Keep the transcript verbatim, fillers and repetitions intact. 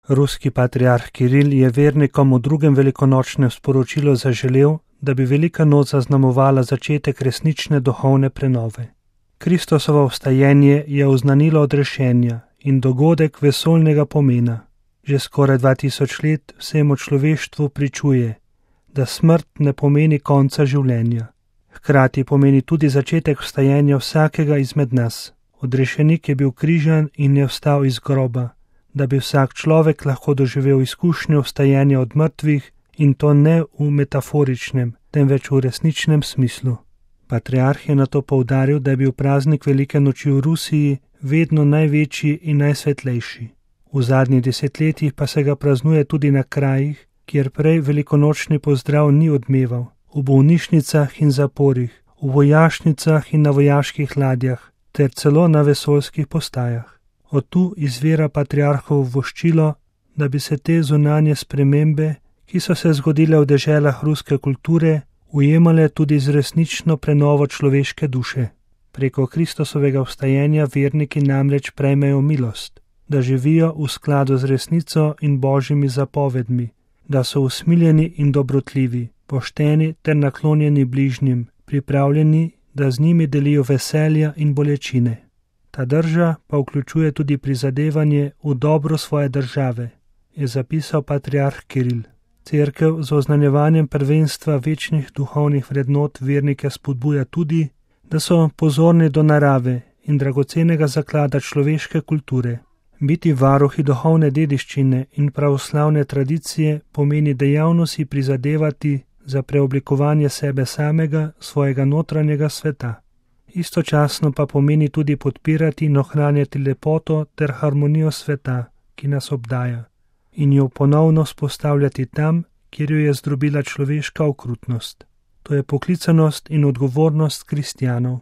Ruski patriarh Kiril je vernikom v drugem velikonočnem sporočilu zaželel, da bi velika noč zaznamovala začetek resnične duhovne prenove. Kristosovo vstajenje je oznanilo odrešenja in dogodek vesoljnega pomena. Že skoraj dva tisoč let vsemu človeštvu pričuje, da smrt ne pomeni konca življenja. Hkrati pomeni tudi začetek vstajenja vsakega izmed nas. Odrešenik je bil križan in je vstal iz groba, da bi vsak človek lahko doživel izkušnjo vstajenja od mrtvih, in to ne v metaforičnem, temveč v resničnem smislu. Patriarh je nato poudaril, da je bil praznik velike noči v Rusiji vedno največji in najsvetlejši. V zadnjih desetletjih pa se ga praznuje tudi na krajih, kjer prej velikonočni pozdrav ni odmeval, v bolnišnicah in zaporih, v vojašnicah in na vojaških ladjah, ter celo na vesoljskih postajah. Od tu izvira patriarhovo voščilo, da bi se te zunanje spremembe, ki so se zgodile v deželah ruske kulture, ujemale tudi z resnično prenovo človeške duše. Preko Kristusovega vstajenja verniki namreč prejmejo milost, da živijo v skladu z resnico in božjimi zapovedmi, da so usmiljeni in dobrotljivi, pošteni ter naklonjeni bližnjim, pripravljeni, da z njimi delijo veselja in bolečine. Ta drža pa vključuje tudi prizadevanje v dobro svoje države, je zapisal patriarh Kiril. Cerkev z oznanjevanjem prvenstva večnih duhovnih vrednot vernike spodbuja tudi, da so pozorni do narave in dragocenega zaklada človeške kulture. Biti varuhi duhovne dediščine in pravoslavne tradicije pomeni dejavno si prizadevati za preoblikovanje sebe samega, svojega notranjega sveta. Istočasno pa pomeni tudi podpirati in ohranjati lepoto ter harmonijo sveta, ki nas obdaja, in jo ponovno vzpostavljati tam, kjer jo je zdrobila človeška okrutnost. To je poklicanost in odgovornost kristjanov.